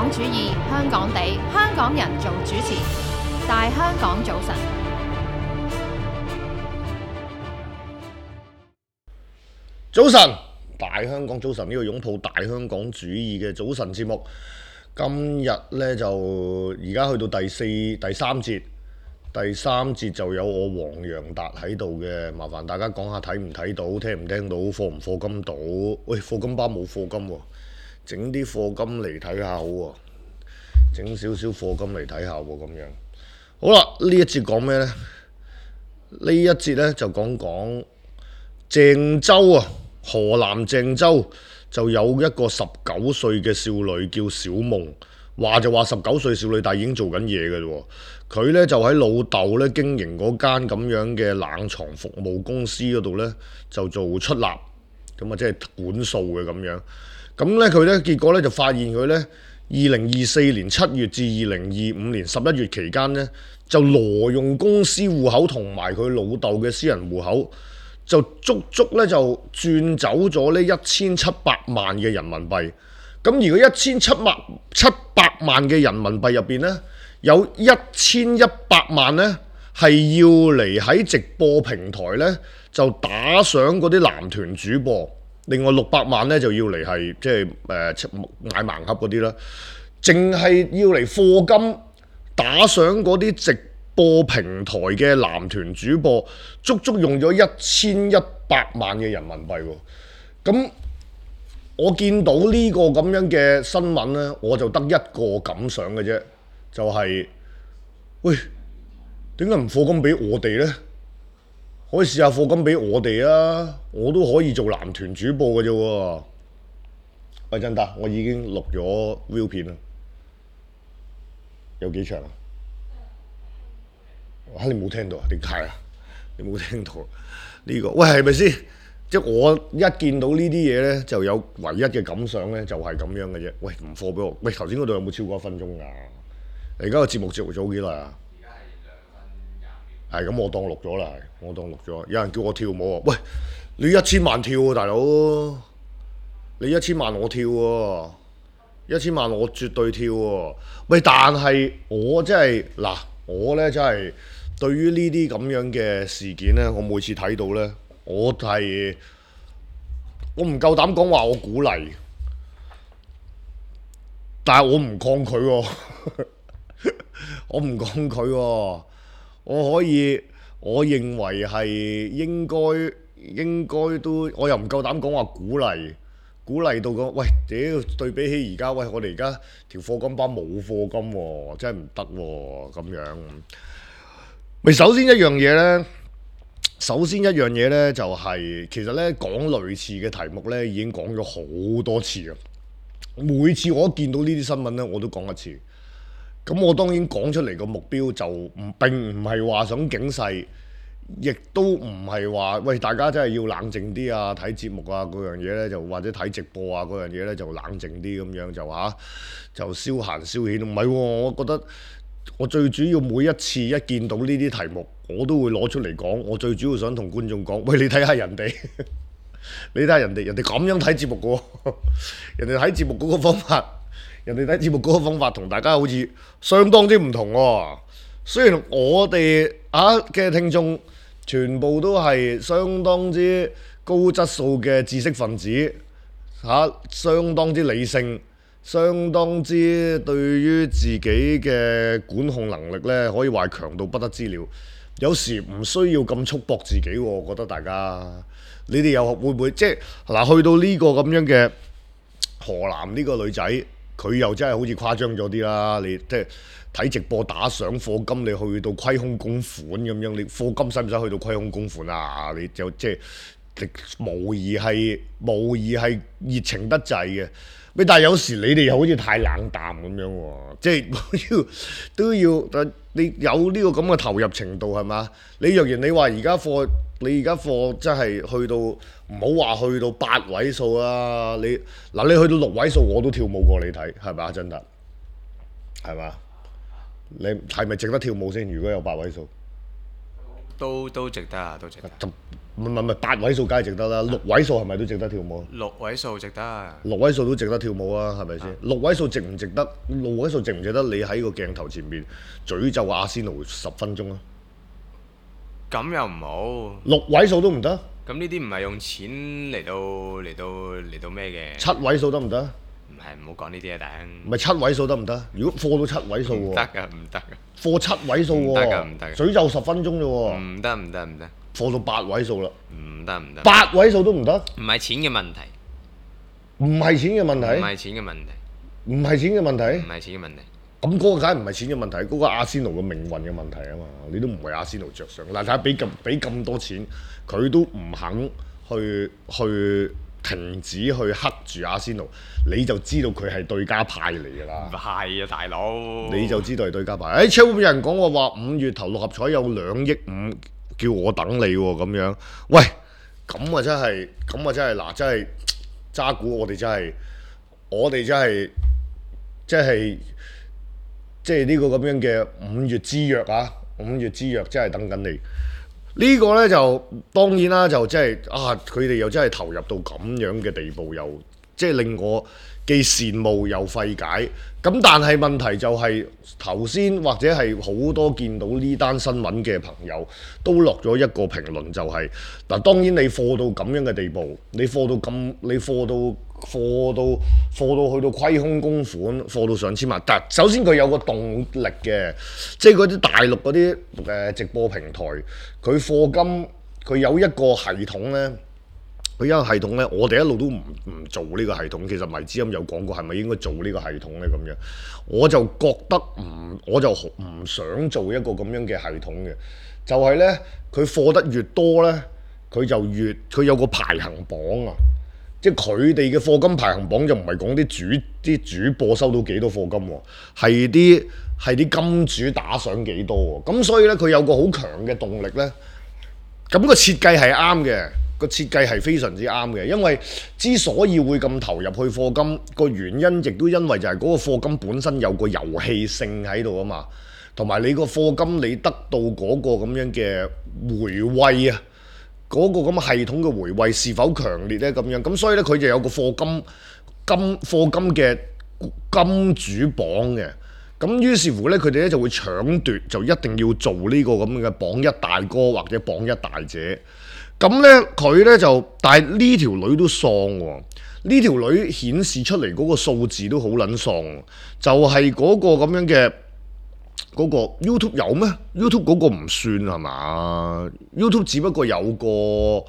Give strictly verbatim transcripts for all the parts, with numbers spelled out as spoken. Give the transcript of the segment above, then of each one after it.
港主義，香港地，香港人做主持，大香港早晨。早晨，大香港早晨，呢個擁抱大香港主義嘅早晨節目，今日呢，就而家去到第四第三節，第三節就有我黃洋達喺度嘅，麻煩大家講下睇唔睇到，聽唔聽到，課唔課金到？喂，課金巴冇課金喎，整啲課金嚟睇下好喎，整少少課金嚟睇下喎，咁樣。好啦，呢一節講咩呢？呢一節呢，就講講鄭州啊。河南鄭州就有一個十九歲嘅少女叫小夢，話就話十九歲少女，但係已經做緊嘢嘅喎。佢呢就喺老豆呢經營嗰間咁樣嘅冷藏服務公司嗰度呢，就做出納，咁啊即係管數嘅咁樣。咁呢，佢呢結果呢就發現佢呢二零二四年七月至二零二五年十一月期間呢，就挪用公司戶口同埋佢老豆嘅私人戶口。就足足咧就轉走咗呢一千七百萬嘅人民幣，咁而個一千七百七百萬嘅人民幣入邊呢，有一千一百萬呢係要嚟喺直播平台呢就打賞嗰啲男團主播，另外六百萬呢就要嚟係即係誒買盲盒嗰啲啦，淨係要嚟課金打賞嗰啲直播平台嘅男團主播，足足用咗一千一百萬嘅人民幣喎。咁我見到呢個咁樣嘅新聞呢，我就得一個感想嘅啫，就係、是、喂，點解唔課金俾我哋呢？可以試下課金俾我哋啊！我都可以做男團主播嘅啫喎。喂，真達，我已經錄咗 view 片啦，有幾長啊？嚇！你冇聽到啊？點解啊？你冇聽到呢、這個？喂，係咪先？即係我一見到呢啲嘢咧，就有唯一嘅感想咧，就係咁樣嘅啫。喂，唔課俾我。喂，頭先嗰度有冇超過一分鐘㗎？而家個節目節目做幾耐啊？而家係兩分廿秒。係咁，我當錄咗啦，我當錄咗。有人叫我跳舞啊！喂，你一千萬跳喎、啊，大佬！你一千萬我跳喎、啊，一千萬我絕對跳喎、啊。喂，但係我真係嗱，我咧真係。對於呢啲咁樣嘅事件呢，我每次睇到呢，我係我唔夠膽講話我鼓勵，但係我唔抗拒喎、哦，我唔抗拒喎、哦，我可以，我認為係應該應該都，我又唔夠膽講話鼓勵，鼓勵到講，喂屌對比起而家，喂我哋而家條課金班冇課金喎、哦，真係唔得喎咁樣。咪首先一樣嘢呢，首先一樣嘢呢，就係、是、其實呢講類似嘅題目呢已經講咗好多次啦。每次我一見到呢啲新聞呢，我都講一次。咁我當然講出嚟個目標就唔並唔係話想警世，亦都唔係話喂大家真係要冷靜啲啊，睇節目啊嗰樣嘢呢，就或者睇直播啊嗰樣嘢呢，就冷靜啲咁樣就嚇、啊、就消閒消遣。唔係喎，我覺得。我最主要每一次一見到呢啲題目，我都會攞出嚟講。我最主要想同觀眾講，喂，你睇下人哋，你睇下人哋，人哋咁樣睇節目嘅喎，人哋睇節目嗰個方法，人哋睇節目嗰個方法同大家好似相當之唔同喎。雖然我哋啊嘅聽眾全部都係相當之高質素嘅知識分子，嚇、啊，相當之理性。相當之對於自己嘅管控能力呢，可以話係強到不得之了。有時唔需要咁束縛自己喎，我覺得大家，你哋又會唔會即係嗱？去到呢個咁樣嘅河南呢個女仔，佢又真係好似誇張咗啲啦。你即係睇直播打賞課金，你去到虧空公款咁樣，你課金使唔使去到虧空公款啊？你就即係無疑係無疑係熱情得滯嘅。但係有時你哋又好似太冷淡咁樣喎，即係都要都要，你有呢個咁嘅投入程度係嘛？你若然你話而家課，你而家課真係去到唔好話去到八位數啊！你嗱你去到六位數我都跳舞過你睇，係咪啊？真得係嘛？你係咪值得跳舞先？如果有八位數，都都值得啊，都值得。唔係唔係八位數梗係值得啦，六位數係咪都值得跳舞？六位數值得。六位數都值得跳舞啊，係咪先？啊六位數值唔值得？六位數值唔值得？你喺個鏡頭前面詛咒阿仙奴十分鐘啊？咁又唔好。六位數都唔得？咁呢啲唔係用錢嚟到嚟到嚟到咩嘅？七位數得唔得？唔係，唔好講呢啲啊，頂。唔係七位數得唔得？如果貨到七位數喎，唔得㗎，唔得㗎。貨七位數喎，唔得㗎唔得㗎詛咒十分鐘啫喎，唔得唔得唔得，貨到八位數啦，唔得唔得。八位數都唔得？唔係錢嘅問題，唔係錢嘅問唔題，係錢嘅問題，唔係錢嘅問唔題，係錢嘅問題。咁嗰個梗係唔係錢嘅問題，嗰個阿仙奴嘅命運嘅問題啊嘛，你都唔為阿仙奴着想。嗱，睇下俾咁俾咁多錢，佢都唔肯去去停止去克住阿仙奴，你就知道佢係對家派嚟㗎啦唔。係啊，大佬。你就知道係對家派。誒，超有人講我話五月頭六合彩有兩億五，叫我等你喎咁樣。喂，咁啊真係，咁啊真係嗱，真係渣股，我哋真係，我哋真係，即係即係呢個咁樣嘅五月之約啊！五月之約真係等緊你。呢個呢，就當然啦，就即係啊，佢哋又真係投入到咁樣嘅地步，又即係令我既羨慕又費解。咁但係問題就係頭先或者係好多見到呢單新聞嘅朋友都落咗一個評論，就係、嗱，當然你貨到咁樣嘅地步，你貨到咁，你貨到貨到貨到去到虧空公款，貨到上千萬。但首先佢有個動力嘅，即係嗰啲大陸嗰啲誒直播平台，佢課金佢有一個系統呢。佢有一個系統呢，我哋一路都唔唔做呢個系統。其實迷之音有講過，係咪應該做呢個系統呢？咁樣我就覺得唔，我就唔想做一個咁樣嘅系統嘅。就係呢，佢貨得越多呢，佢就越佢有個排行榜啊。即係佢哋嘅課金排行榜就唔係講啲主啲主播收到幾多課金喎，係啲係啲金主打賞幾多喎。咁所以呢，佢有個好強嘅動力呢。咁個設計係啱嘅。個設計係非常之啱嘅，因為之所以會咁投入去課金，個原因亦都因為就係嗰個課金本身有個遊戲性喺度啊嘛，同埋你個課金你得到嗰個咁樣嘅回饋啊，嗰、嗰個咁嘅系統嘅回饋是否強烈呢？咁樣咁所以咧佢就有個課金金課金嘅金主榜嘅，咁於是乎咧佢哋咧就會搶奪，就一定要做呢個咁嘅榜一大哥或者榜一大姐。咁呢，佢呢就，但係呢條女都喪喎。呢條女顯示出嚟嗰個數字都好撚喪，就係嗰個咁樣嘅嗰個 YouTube 有咩 ？YouTube 嗰個唔算係嘛 ？YouTube 只不過有個，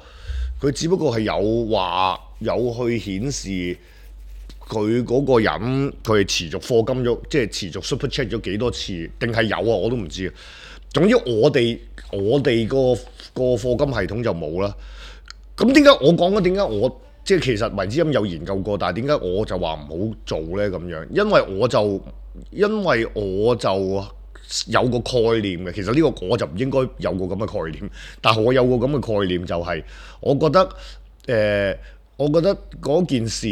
佢只不過係有話有去顯示佢嗰個人佢係持續課金咗，即係持續 super chat 咗幾多次，定係有啊？我都唔知。總之我哋我哋個個課金系統就冇啦。咁點解我講咧？點解我即係其實迷之音有研究過，但係點解我就話唔好做呢？咁樣，因為我就因為我就有個概念嘅。其實呢個我就唔應該有個咁嘅概念，但係我有個咁嘅概念就係、是，我覺得誒、呃，我覺得嗰件事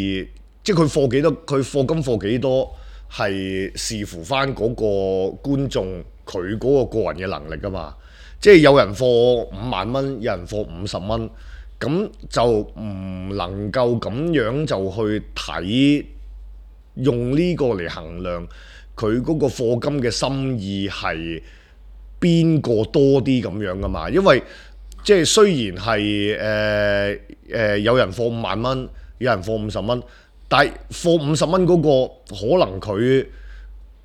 即係佢課幾多，佢課金課幾多係視乎翻嗰個觀眾。佢嗰個個人嘅能力㗎嘛，即係有人課五萬蚊，有人課五十蚊，咁就唔能夠咁樣就去睇，用呢個嚟衡量佢嗰個課金嘅心意係邊個多啲咁樣㗎嘛？因為即係雖然係誒誒有人課五萬蚊，有人課五十蚊，但係課五十蚊嗰個可能佢。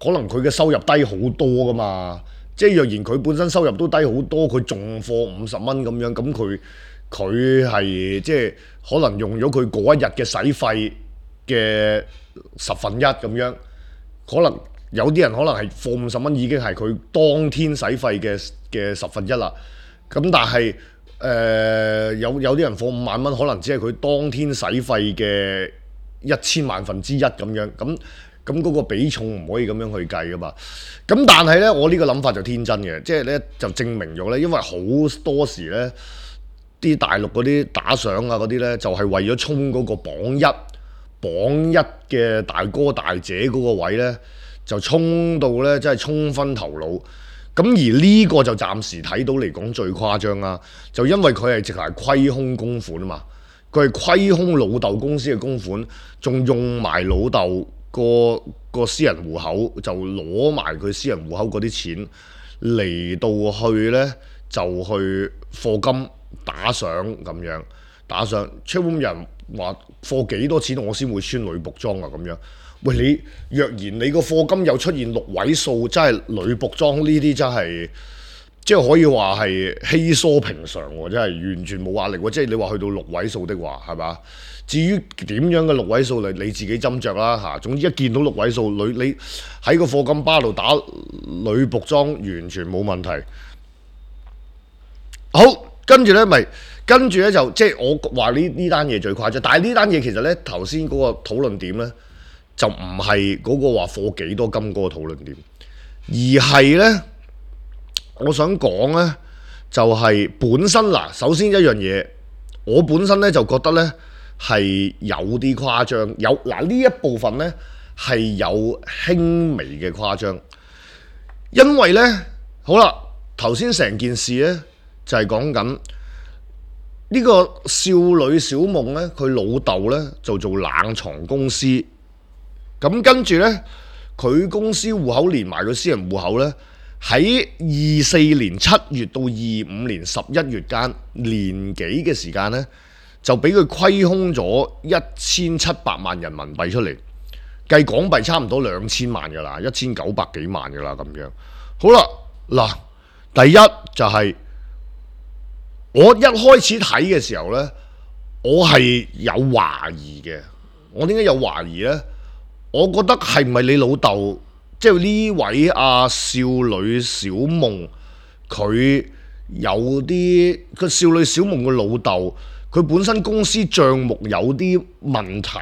可能佢嘅收入低好多噶嘛，即係若然佢本身收入都低好多，佢仲課五十蚊咁樣，咁佢佢係即係可能用咗佢嗰一日嘅使費嘅十分一咁樣，可能有啲人可能係課五十蚊已經係佢當天使費嘅嘅十分一啦。咁但係誒、呃、有有啲人課五萬蚊，可能只係佢當天使費嘅一千萬分之一咁樣咁。咁嗰個比重唔可以咁樣去計噶嘛？咁但係呢，我呢個諗法就天真嘅，即係呢就證明咗呢，因為好多時呢啲大陸嗰啲打賞啊嗰啲呢，就係、是、為咗衝嗰個榜一榜一嘅大哥大姐嗰個位呢，就衝到呢，真係衝昏頭腦。咁而呢個就暫時睇到嚟講最誇張啦，就因為佢係直頭係虧空公款啊嘛，佢係虧空老豆公司嘅公款，仲用埋老豆個個私人戶口，就攞埋佢私人戶口嗰啲錢嚟到去呢，就去課金打賞咁樣打賞。出邊人話課幾多錢我先會穿女僕裝啊咁樣。喂，你若然你個課金又出現六位數，真係女僕裝呢啲真係，即係可以話係稀疏平常喎，真係完全冇壓力喎。即係你話去到六位數的話，係嘛？至於點樣嘅六位數，你你自己斟酌啦嚇。總之一見到六位數女，你喺個課金巴度打女僕裝，完全冇問題。好，跟住呢咪跟住呢就即係我話呢呢單嘢最誇張，但係呢單嘢其實呢頭先嗰個討論點呢。就唔係嗰個話課幾多金嗰個討論點，而係呢，我想講呢，就係、是、本身嗱，首先一樣嘢，我本身呢就覺得呢係有啲誇張，有嗱呢一部分呢係有輕微嘅誇張，因為呢，好啦，頭先成件事呢就係講緊呢個少女小夢呢，佢老豆呢就做冷藏公司。咁跟住呢，佢公司戶口連埋佢私人戶口呢，喺二四年七月到二五年十一月間年幾嘅時間呢，就俾佢虧空咗一千七百萬人民幣出嚟，計港幣差唔多兩千萬噶啦，一千九百幾萬噶啦咁樣。好啦，嗱，第一就係、是、我一開始睇嘅時候呢，我係有懷疑嘅。我點解有懷疑呢？我覺得係唔係你老豆，即係呢位阿少女小夢，佢有啲個少女小夢嘅老豆，佢本身公司帳目有啲問題，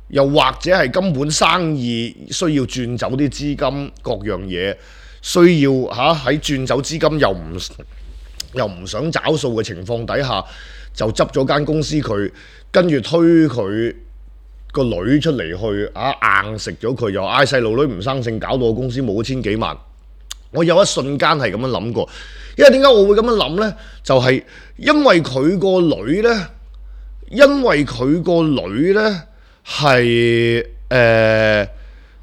又或者係根本生意需要轉走啲資金，各樣嘢需要嚇喺轉走資金又唔又唔想找數嘅情況底下，就執咗間公司佢，跟住推佢個女出嚟去啊，硬食咗佢，又嗌細路女唔生性，搞到個公司冇咗千幾萬。我有一瞬間係咁樣諗過，因為點解我會咁樣諗呢？就係、是、因為佢個女呢，因為佢個女呢係誒，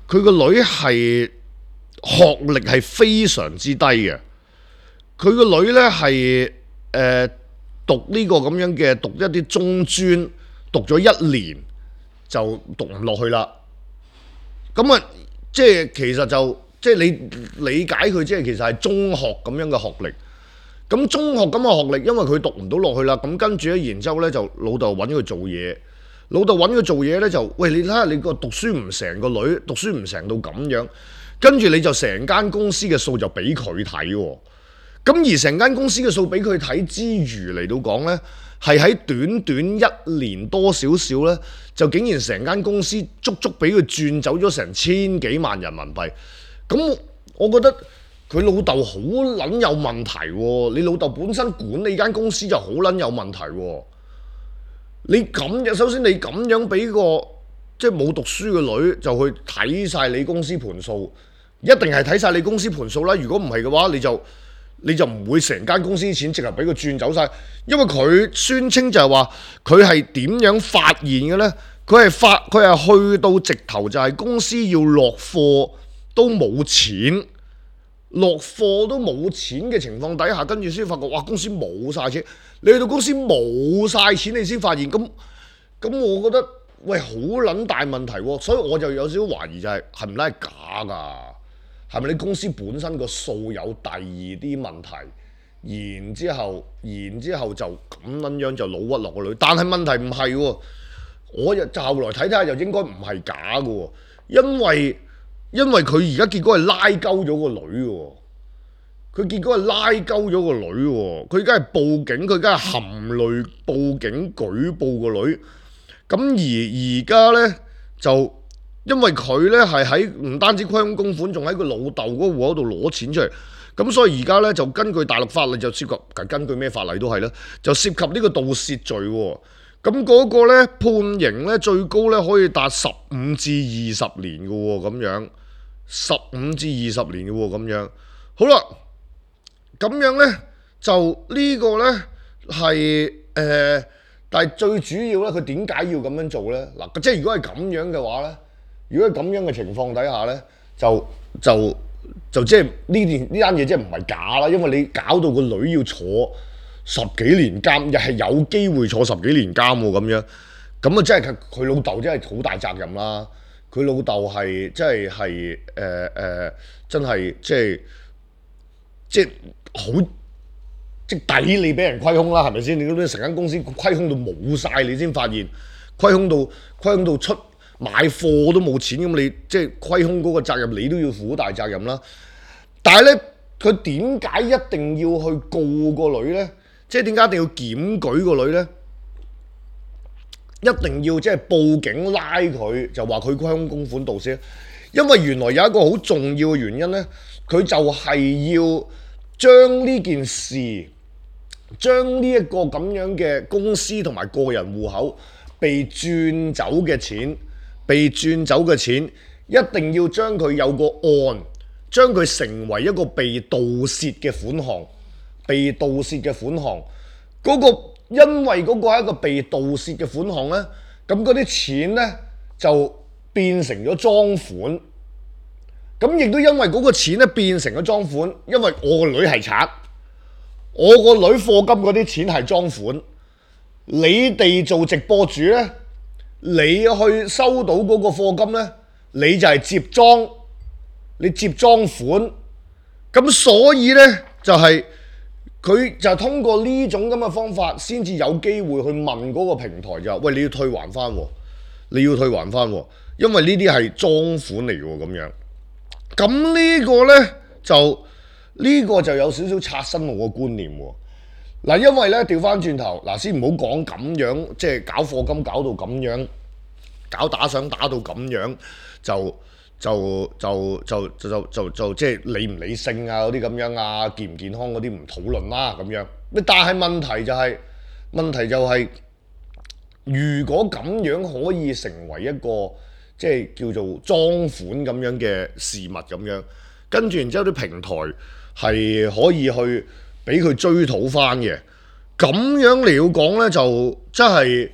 佢個女係學歷係非常之低嘅。佢個女呢係誒、呃、讀呢個咁樣嘅，讀一啲中專，讀咗一年就讀唔落去啦。咁啊，即係其實就即係你理解佢，即係其實係中學咁樣嘅學歷。咁中學咁嘅學歷，因為佢讀唔到落去啦，咁跟住咧，然之後咧就老豆揾佢做嘢，老豆揾佢做嘢咧就，喂，你睇下你個讀書唔成個女，讀書唔成到咁樣，跟住你就成間公司嘅數就俾佢睇喎。咁而成間公司嘅數俾佢睇之餘嚟到講呢，係喺短短一年多少少呢，就竟然成間公司足足俾佢轉走咗成千幾萬人民幣。咁我覺得佢老豆好撚有問題喎！你老豆本身管理間公司就好撚有問題喎！你咁樣，首先你咁樣俾個即係冇讀書嘅女就去睇晒你公司盤數，一定係睇晒你公司盤數啦。如果唔係嘅話，你就你就唔會成間公司錢直頭俾佢轉走晒，因為佢宣稱就係話佢係點樣發現嘅呢？佢係發佢係去到直頭就係公司要落貨都冇錢。落貨都冇錢嘅情況底下，跟住先發覺，哇！公司冇晒錢，你去到公司冇晒錢，你先發現，咁咁，我覺得喂好撚大問題喎，所以我就有少少懷疑就係係唔係假㗎？係咪你公司本身個數有第二啲問題，然之後然之後就咁撚樣就老屈落個女？但係問題唔係喎，我就後來睇睇下，又應該唔係假㗎喎，因為。因為佢而家結果係拉鳩咗個女喎，佢結果係拉鳩咗個女喎，佢而家係報警，佢而家係含淚報警舉報個女。咁而而家呢，就因為佢呢係喺唔單止虧空公款，仲喺佢老豆嗰個戶口度攞錢出嚟，咁所以而家呢，就根據大陸法例就涉及，根據咩法例都係啦，就涉及呢個盜竊罪喎。咁嗰個咧判刑咧最高咧可以達十五至二十年嘅喎，咁樣十五至二十年嘅喎，咁樣好啦，咁樣呢，就呢個呢係誒，但係最主要呢，佢點解要咁樣做呢？嗱，即係如果係咁樣嘅話呢，如果係咁樣嘅情況底下呢，就就就即係呢件呢單嘢即係唔係假啦，因為你搞到個女要坐十幾年監，又係有機會坐十幾年監喎咁樣，咁啊真係佢老豆真係好大責任啦。佢老豆係即係係誒誒，真係即係即係好即係抵你俾人虧空啦，係咪先？你嗰啲成間公司虧空到冇晒，你先發現虧空到虧空到出買貨都冇錢，咁你即係虧空嗰個責任，你都要負好大責任啦。但係咧，佢點解一定要去告個女咧？即係點解一定要檢舉個女咧？一定要即係報警拉佢，就話佢虧空公款盜竊，因為原來有一個好重要嘅原因咧，佢就係要將呢件事，將呢一個咁樣嘅公司同埋個人戶口被轉走嘅錢，被轉走嘅錢，一定要將佢有個案，將佢成為一個被盜竊嘅款項，被盜竊嘅款項，嗰個。因為嗰個係一個被盜竊嘅款項呢，咁嗰啲錢呢就變成咗贓款，咁亦都因為嗰個錢呢變成咗贓款，因為我個女係賊，我個女課金嗰啲錢係贓款，你哋做直播主呢，你去收到嗰個課金呢，你就係接贓，你接贓款，咁所以呢就係、是。佢就通過呢種咁嘅方法，先至有機會去問嗰個平台就話：喂，你要退還翻，你要退還翻，因為呢啲係贓款嚟嘅喎，咁樣。咁呢個呢，就呢、呢個就有少少刷新我個觀念喎。嗱，因為呢，調翻轉頭，嗱先唔好講咁樣，即係搞課金搞到咁樣，搞打賞打到咁樣就。就就就就就就就即係理唔理性啊嗰啲咁樣啊，健唔健康嗰啲唔討論啦咁樣。但係問題就係、是、問題就係、是，如果咁樣可以成為一個即係叫做贓款咁樣嘅事物咁樣，跟住然之後啲平台係可以去俾佢追討翻嘅，咁樣嚟要講呢，就真係。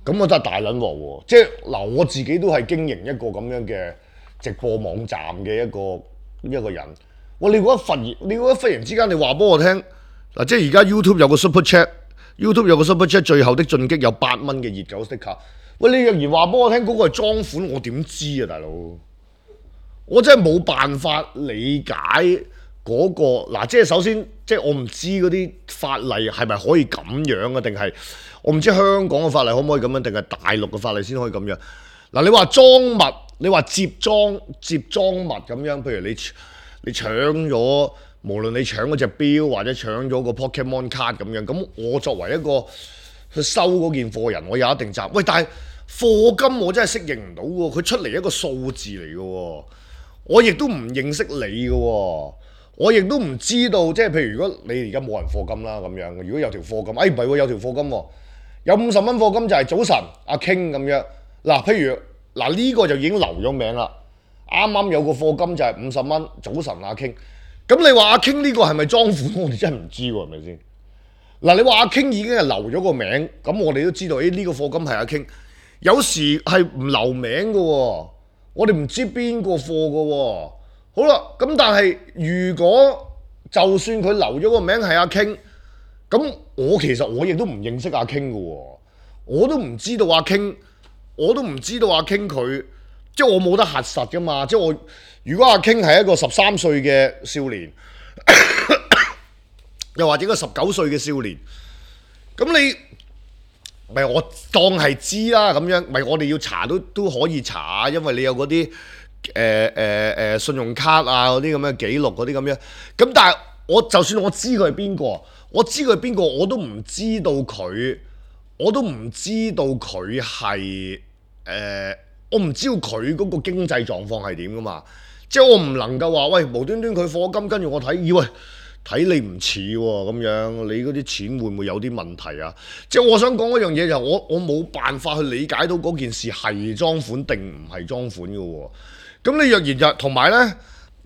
咁我真係大撚鑊喎！即係嗱，我自己都係經營一個咁樣嘅直播網站嘅一個一個人。哇！你覺得忽然，你覺得忽然之間，你話俾我聽嗱，即係而家 YouTube 有個 Super Chat，YouTube 有個 Super Chat，最後的進擊有八蚊嘅熱狗 sticker。喂，你若然話俾我聽嗰個係贓款，我點知啊，大佬？我真係冇辦法理解嗰個嗱，即係首先，即係我唔知嗰啲法例係咪可以咁樣啊，定係？我唔知香港嘅法例可唔可以咁樣，定係大陸嘅法例先可以咁樣。嗱，你話贓物，你話接贓接贓物咁樣，譬如你你搶咗，無論你搶嗰隻錶或者搶咗個 Pokemon 卡咁樣，咁我作為一個去收嗰件貨人，我有一定責任。喂，但係課金我真係適應唔到喎，佢出嚟一個數字嚟嘅喎，我亦都唔認識你嘅喎。我亦都唔知道，即係譬如如果你而家冇人課金啦咁樣，如果有條課金，哎唔係喎，有條課金喎。有五十蚊課金就係早晨阿 King 咁樣，嗱譬如嗱呢、這個就已經留咗名啦，啱啱有個課金就係五十蚊早晨阿 King，咁你話阿 King 呢個係咪贓款？我哋真係唔知喎，係咪先？嗱你話阿 King 已經係留咗個名，咁我哋都知道，誒、哎、呢、這個課金係阿 King，有時係唔留名嘅喎，我哋唔知邊個課嘅喎。好啦，咁但係如果就算佢留咗個名係阿 King。咁我其實我亦都唔認識阿 King 嘅喎，我都唔知道阿 King，我都唔知道阿 King 佢，即係我冇得核實噶嘛，即係我如果阿 King 係一個十三歲嘅少年，又或者一個十九歲嘅少年，咁你咪我當係知啦咁樣，咪我哋要查都都可以查，因為你有嗰啲誒誒誒信用卡啊嗰啲咁嘅記錄嗰啲咁樣，咁但係我就算我知佢係邊個。我知佢係邊個，我都唔知道佢，我都唔知道佢係誒，我唔知道佢嗰個經濟狀況係點噶嘛，即係我唔能夠話喂無端端佢課金，跟住我睇，以為睇你唔似喎咁樣，你嗰啲錢會唔會有啲問題啊？即係我想講嗰樣嘢就係我我冇辦法去理解到嗰件事係贓款定唔係贓款嘅喎。咁你若然就同埋咧，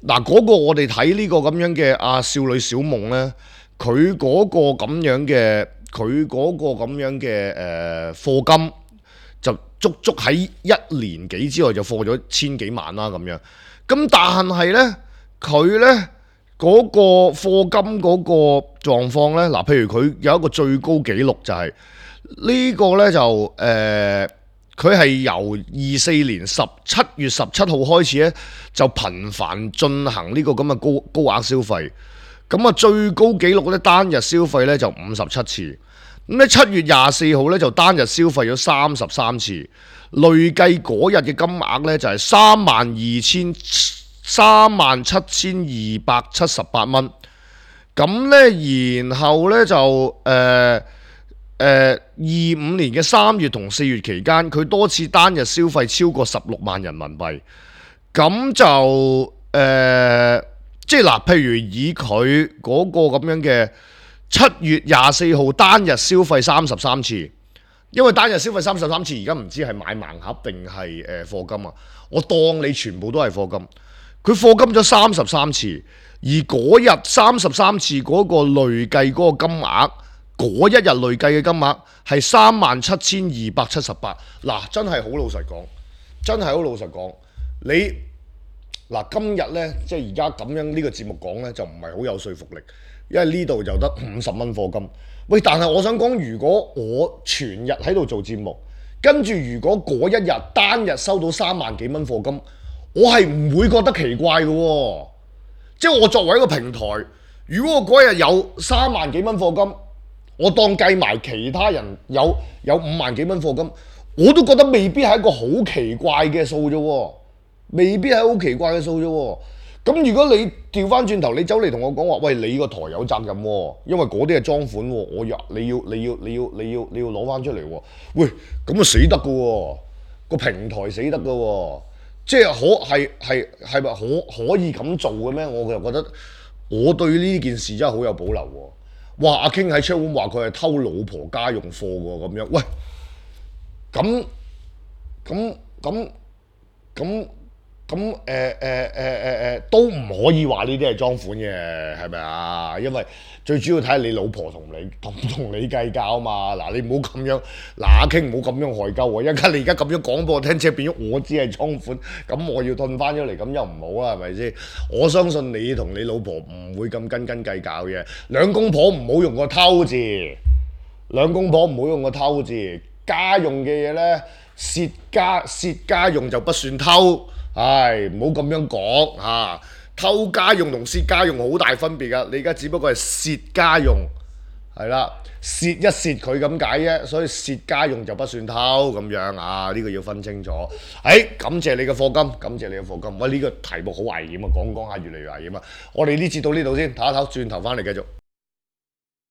嗱嗰個我哋睇呢個咁樣嘅阿少女小夢呢，佢嗰個咁樣嘅佢嗰個咁樣嘅誒課金就足足喺一年幾之內就課咗千幾萬啦咁樣。咁但係呢，佢呢嗰個課金嗰個狀況呢，嗱譬如佢有一個最高紀錄就係呢個呢就誒。佢係由二四年十七月十七號開始咧，就頻繁進行呢個咁嘅高高額消費。咁啊，最高紀錄咧單日消費咧就五十七次。咁咧七月廿四號咧就單日消費咗三十三次，累計嗰日嘅金額咧就係三萬二千三萬七千二百七十八蚊。咁咧，然後咧就誒。呃誒二五年嘅三月同四月期間，佢多次單日消費超過十六萬人民幣，咁就誒、呃，即係嗱，譬如以佢嗰個咁樣嘅七月廿四號單日消費三十三次，因為單日消費三十三次，而家唔知係買盲盒定係誒課金啊？我當你全部都係課金，佢課金咗三十三次，而嗰日三十三次嗰個累計嗰個金額。嗰一日累計嘅金額係三萬七千二百七十八，嗱真係好老實講，真係好老實講，你嗱今日呢，即係而家咁樣呢個節目講呢，就唔係好有說服力，因為呢度就得五十蚊課金。喂，但係我想講，如果我全日喺度做節目，跟住如果嗰一日單日收到三萬幾蚊課金，我係唔會覺得奇怪嘅喎。即係我作為一個平台，如果我嗰日有三萬幾蚊課金，我當計埋其他人有有五萬幾蚊課金，我都覺得未必係一個好奇怪嘅數啫喎，未必係好奇怪嘅數啫喎。咁如果你調翻轉頭，你走嚟同我講話，喂，你個台有責任喎，因為嗰啲係裝款喎，我要你要你要你要你要你要攞翻出嚟喎，喂，咁啊死得㗎喎，個平台死得㗎喎，即係可係係係咪可可以咁做嘅咩？我就覺得我對呢件事真係好有保留喎。哇！阿 King 喺 chat room 話佢係偷老婆家用貨喎，咁樣，喂，咁咁咁咁咁誒誒誒誒誒都唔可以話呢啲係裝款嘅，係咪啊？因為最主要睇下你老婆同你同唔同你計較啊嘛。嗱，你唔好咁樣，嗱阿 King 唔好咁樣害鳩喎。一陣間你而家咁樣講俾我聽，即係變咗我知係裝款，咁我要退翻咗嚟，咁又唔好啊，係咪先？我相信你同你老婆唔會咁斤斤計較嘅。兩公婆唔好用個偷字，兩公婆唔好用個偷字。家用嘅嘢咧，蝕家蝕家用就不算偷。唉，唔好咁樣講嚇、啊，偷家用同蝕家用好大分別噶。你而家只不過係蝕家用，係啦，蝕一蝕佢咁解啫，所以蝕家用就不算偷咁樣啊。呢、這個要分清楚。誒、哎，感謝你嘅課金，感謝你嘅課金。喂，呢、這個題目好危險啊，講講下越嚟越危險啊。我哋呢節到呢度先，唞一唞，轉頭翻嚟繼續。